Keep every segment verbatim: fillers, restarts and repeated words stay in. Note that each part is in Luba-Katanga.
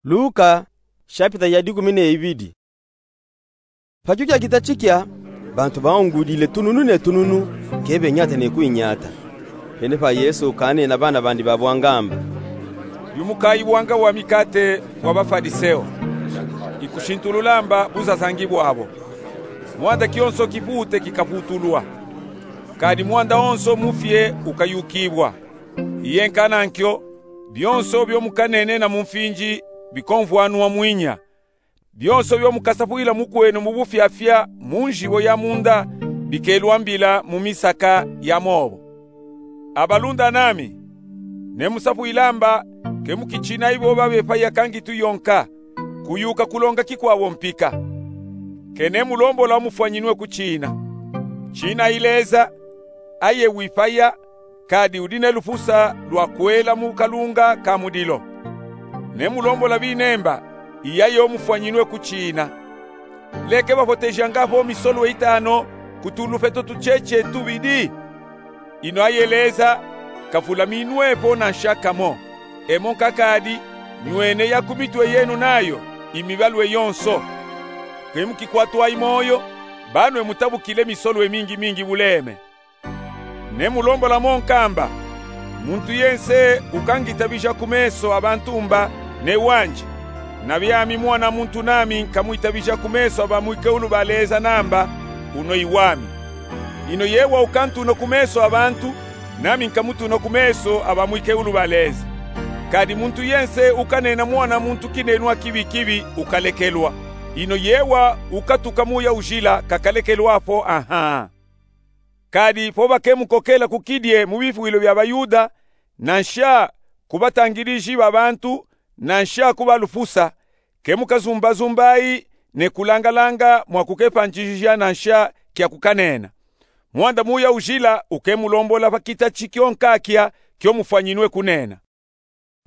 Luka, shapita ya dikumi na ibidi. Pa kio kiakita tikio, bantu baungudile tununu ne tununu, ke benyata ne kuinyata. Pene pa Yesu kanena bana bandi ba bwangamba: Diumukayi bwanga bwa mikate bwa Bafaliseo. Ikushintulula mba buzazangi bwabo. Mwanda kionso kipute kikaputulwa, kadi mwanda onso mufie ukayukibwa. Iye nkanankio, bionso bio mukanenena mu mfinji bikomvwanwa mwinya. Bionso bio mukasapwila mukwenu mu bufyafya mu njibo ya munda bikelwambila mu misaka ya mobo. Abalunda nami, nemusapwila mba, ke mukitshinayi boba bepaya ka ngitu yonka, kuyuka kulonga kikwabo mpika. Ke nemulombola mufwanyinwe kutshina. Tshinayi Leza, aye wipaya, kadi udi ne lufusa lwa kwela mu kalunga ka mudilo. Nemulombola binemba, iyayo mufwanyinwe kutshina. Leke bafotejanga vo misolwe itano ku tulufeto tutshietshie tubidi? Ino aye Leza, kavulaminwe vo nansha kamo. Emo nkakadi, nywene ya ku mitwe yenu nayo, imibalwe yonso. Ke mukikwatwayi moyo, banwe mutabukile misolwe mingi mingi buleme. Nemulombola mo nkamba, muntu yense ukangitabija ku meso a bantu mba, ne wandi. Na biami Mwana muntu nami nkamuitabija ku meso a ba mwikeulu ba Leza namba, uno iwami. Ino yewa ukantuna ku meso a bantu, nami nkamutuna ku meso a ba mwikeulu ba Leza. Kadi muntu yense ukanena Mwana muntu kinenwa kibi kibi ukalekelwa. Ino yewa ukatuka Muya Ujila kakalekelwa vo anha. Kadi vo bakemukokela ku kidie mu bifwilo bia Bayuda, nansha ku batangiliji ba bantu, nansha ku ba lufusa, kemukazumbazumbayi ne kulangalanga mwa kukepanjijija nansha kia kukanena. Mwanda Muya Ujila ukemulombola pa kita tikio nkakia kio mufwanyinwe kunena.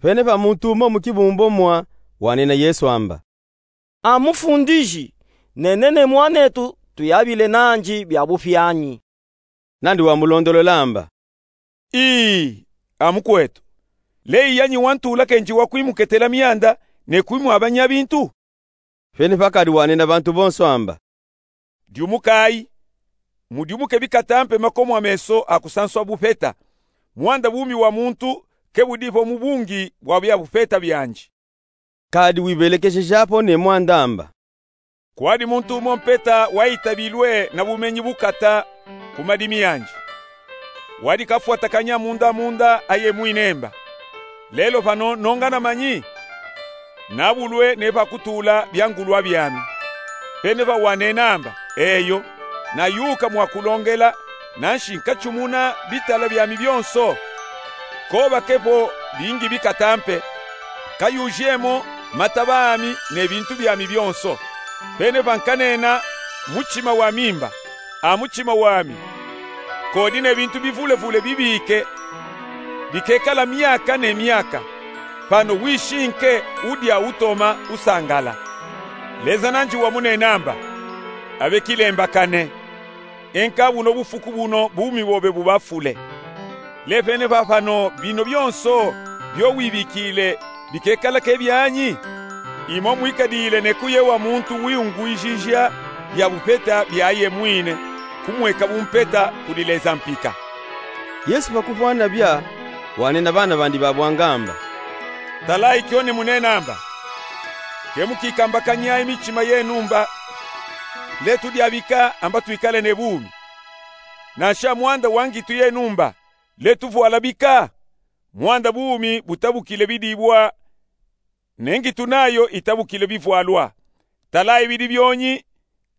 Pene pa muntu umo mu kibumbu mwa wanena Yesu amba: A Mufundiji, nenene mwanetu tuyabile nandi bia bupyanyi. Nandi wamulondolola amba: Ii, a mukwetu, leyi yanyi wantula kenji wa kwimuketela mianda ne kwimwabanya bintu? Pene pakadi wanena bantu bonso amba: Diumukayi, mudiumuke bikatampe makomo a meso a kusanswa bupeta. Mwanda bumi wa muntu ke budi vo mu bungi bwa bia bupeta biandi. Kadi wibelekejeja vo ne mwanda amba: Kwadi muntu umo mpeta wayitabilwe na bumenyi bukata ku madimi andi. Wadi kafwatakanya munda munda aye mwine mba: Lelo pano nongana manyi? Nabulwe ne pa kutula biangulwa biami. Pene pa wanena amba: Eyo, nayuka mwa kulongela, nanshi nkatshumuna bitala biami bionso. Ko bake vo bingi bikatampe, kayujemo mataba ami ne bintu biami bionso. Pene pa nkanena, mutshima wami mba: A mutshima wami, kodi ne bintu bivulevule bibike, bikekala miaka ne miaka. Pano wishinke, udia, utoma, usangala. Leza nandi wamunena amba: Abe kilembakane, enka buno bufuku buno bumi bobe bubafule. Le pene pa pano bino bionso bio wibikile bikekala ke bianyi? Imo mwikadile ne kuyewa muntu wiungwijija bia bupeta biaye mwine, kumweka bumpeta kudi Leza mpika. Yesu pa kuvwana bia, wanena bana bandi ba bwangamba: Talayi kio nemunena amba: Ke mukikambakanyayi mitshima yenu mba: Le tudia bika amba twikale ne bumi. Nansha mwanda wa ngitu yenu mba: Le tuvwala bika? Mwanda bumi butabukile bidibwa, ne ngitu nayo itabukile bivwalwa. Talayi bidi bionyi,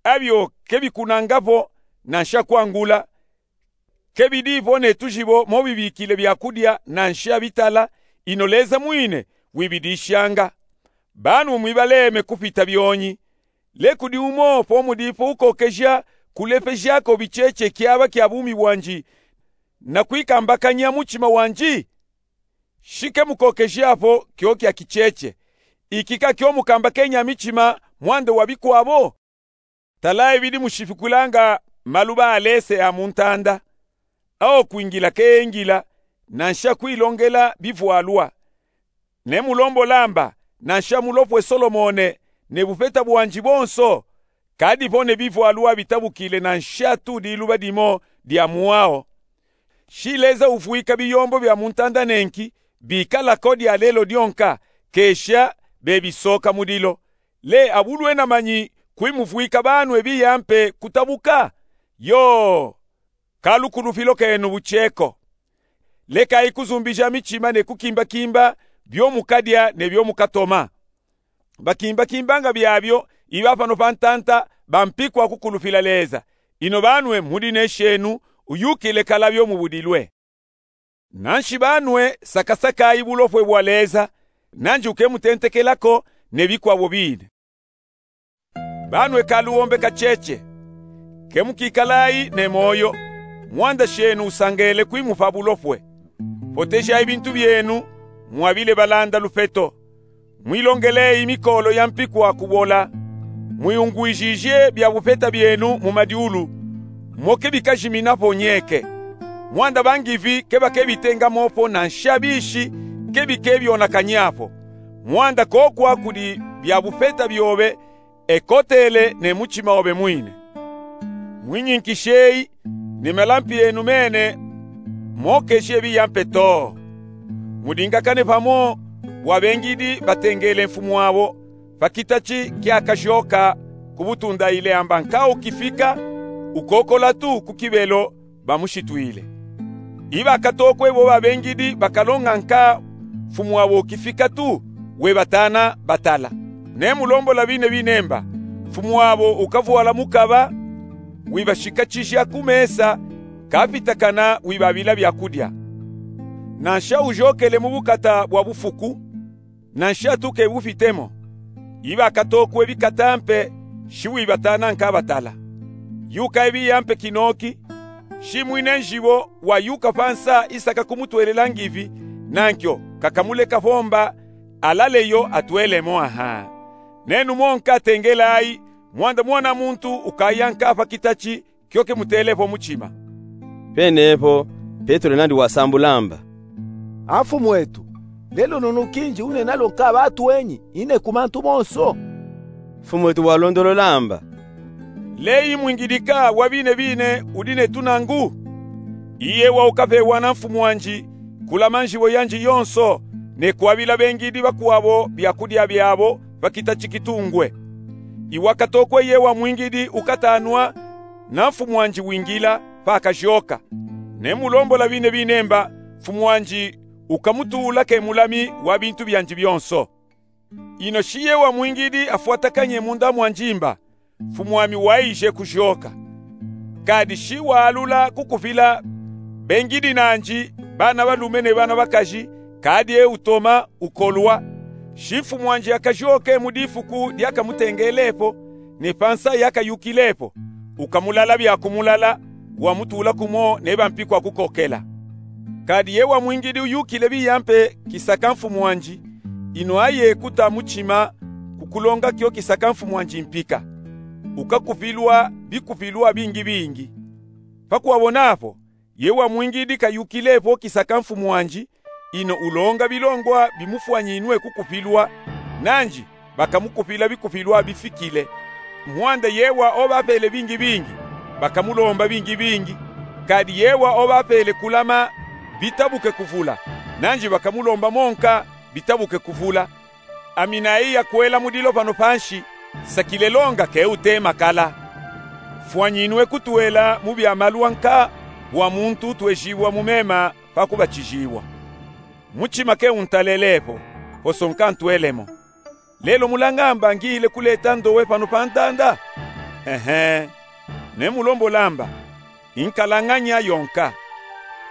abio ke bikunanga vo nansha kwangula, ke bidi vo ne tujibo mo bibikile bia kudia nansha bitala, ino Leza mwine wibidishanga. Banwe mwibaleme kupita bionyi. Le kudi umo vo mudi vo ukokeja kulepeja ko bitshietshie kiaba kia bumi bwandi na kwikambakanya mutshima wandi? Shi ke mukokeja vo kio kia kitshietshie. Iki ka kio mukambakenya mitshima mwanda wa bikwabo? Talayi bidi mushipikulanga maluba a lese a mu ntanda, awo kwingila ke engila, nansha kwilongela bivwalwa. Nemulombola amba: Nansha mulopwe Solomone ne bupeta bwanji bonso, kadipo ne bivwalu abitabukile nansha tu diluba dimo dia mwao. Shi Leza uvwika biyombo bia mu ntanda nenki bikala ko dialelo dyonka, kesha bebisoka mudilo. Le abulwena manyi kwimuvwika banwe biya mpe kutabuka? Yoo, ka lukulupilo kenu bucheko. Lekayi kuzumbija michima ne kukimbakimba byo mukadya ne byo mukatoma. Bakimbakimbanga byabyo iba pano pa ntanta ba mpiku a kukulupila Leza. Ino banwe mudi ne shenu uyukile kala byo mubudilwe. Nanshi banwe sakasakayi bulopwe bwa Leza, nanji ukemutentekelako ne bikwabo bine. Banwe ka luombe kacheche. Kemukikalayi ne moyo, mwanda shenu usangele kwimupa bulopwe. Potejayi bintu byenu, mwabile balanda lupeto. Mwilongeleyi mikolo ya mpiku a kubola. Mwiungwijije bya bupeta byenu mu madyulu, mo kebikajiminapo nyeke. Mwanda bangivi kebakebitengamopo nansha bishi kebikebyonakanyapo. Mwanda kokwa kudi bya bupeta byobe ekotele ne muchima obe mwine. Mwinyinkishi eyi ne malampi enu mene, mokeshi ebiya mpe too. Mudingakane pamo bwa bengidi batengele mfumu abo pa kitachi kyakajoka ku butundayile amba nka ukifika, ukokola tu ku kibelo bamushitwile. Ibakatokwe bo babengidi bakalonga nka mfumu abo ukifika tu, webatana batala. Nemulombola bine binemba, mfumu abo ukavwala mukaba, wibashikachija ku mesa, kapitakana wibabila byakudya. Nansha ujokele mu bukata bwa bufuku, nansha tu kebufitemo. Ibakatokwe bikata mpe, shi wibatana nka batala. Yuka ebiya mpe kinoki, shi mwine njibo wayuka pa nsa isaka kumutwelela ngivi, nankyo kakamuleka pomba alale yo atwelemo aha. Nenu monka tengelayi, mwanda mwana muntu ukaya nka pa kitachi kyo kemutelepo muchima. Penepo Petelo nandi wasambula amba: A Mfumu etu, lelo nunu kinji unena lo nka batu enyi, ine ku mantu monso? Mfumu etu walondolola amba: Leyi mwingidika wa bine bine udi ne tunangu? Iye wa ukapewa na mfumu wanji kulama njibo yanji yonso, ne kwabila bengidi bakwabo byakudya byabo pa kitachi kitungwe. Iwakatokwe ye wa mwingidi ukatanwa, na mfumu wanji wingila pakajoka. Nemulombola bine binemba, mfumu wanji ukamutula ke mulami wa bintu byanji byonso. Ino shi ye wa mwingidi afwatakanye munda mwanji mba, mfumu wami waije kujoka. Kadi shi waalula kukupila bengidi nanji, bana balume ne bana bakaji, kadi e utoma ukolwa. Shi mfumu wanji akajoke mu difuku dyakamutengelepo, ne pa nsa yakayukilepo, ukamulala byakumulala, wamutula kumo ne bampiku akukokela. Kadi ye wa mwingidi uyukile biya mpe kisaka mfumu wanji, ino aye kuta muchima kukulonga kyo kisaka mfumu wanji mpika, ukakupilwa bikupilwa bingi bingi. Pakwabona apo, ye wa mwingidi kayukilepo kisaka mfumu wanji, ino ulonga bilongwa bimufwanyinwe kukupilwa, nanji bakamukupila bikupilwa bifikile. Mwanda ye wa obapele bingi bingi, bakamulomba bingi bingi. Kadi ye wa obapele kulama bitabuke kuvula, nanji bakamulomba monka bitabuke kuvula. Aminayi yakwela mudilo pano panshi, sakile longa ke utema kala. Fwanyinwe kutwela mu bya malwa nka wa muntu utwejibwa mu mema pa kubatijibwa. Muchima ke untalelepo, poso nka ntwelemo. Lelo mulangamba ngile kuleta ndowe pano pa ntanda? Ehe. Nemulombola amba, inkalanganya yonka.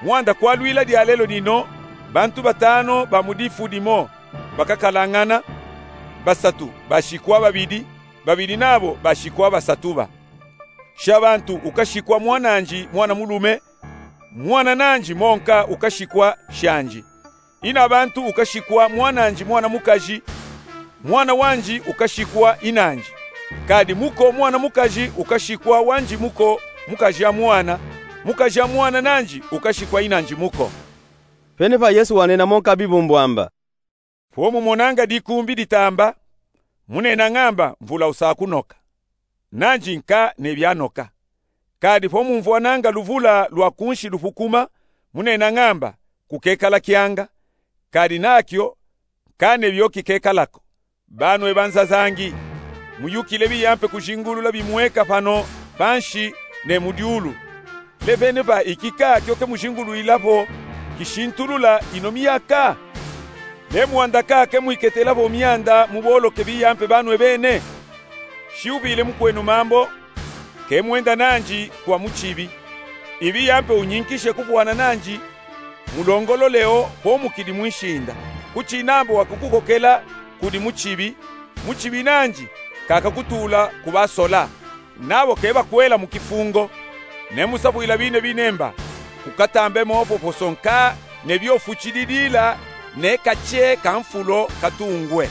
Mwanda kwalwila dyalelo dino, bantu batano ba mu difu dimo bakakalangana, basatu bashikwa babidi, babidi nabo bashikwa basatu ba. Sha bantu ukashikwa mwananji mwana mulume, mwana nanji monka ukashikwa shanji. Ina bantu ukashikwa mwananji mwana mukaji, mwana wanji ukashikwa inanji. Kadi muko mwana mukaji ukashikwa wanji muko mukaji a mwana, mukaji a mwana nanji ukashikwa inanji muko. Penepa Yesu wanena monka bibumbu amba: Vo mumonanga dikumbi ditamba, munena ngamba mvula usakunoka, nanji nka nebia noka. Kadi vo mumvwananga luvula lwa kunshi lufukuma, munena ngamba kukekala kianga, kadi nakio nka nebio kikekala ko. Banwe banzazangi, muyukile biyampe kujingulula bimweka pano panshi ne mu diulu. Levene pa iki ka kio ke mujingulwila vo kishintulula ino miaka? Le mwanda ka ke mwiketela vo mianda muboloke biyampe banwe bene? Shiubile mukwenu mambo, ke mwenda nanji kwa muchibi. Ibi yampe unyinkishe kuvwana nanji mulongolole o vo mukidi mwinshinda. Kuchinambo wakukukokela kudi muchibi, muchibi nanji kakakutula ku basola, nabo ke bakwela mu kifungo. Ne musapwila bine binemba, kukatambemo poposo nka nebio fuchililila ne kache ka nfulo katungwe.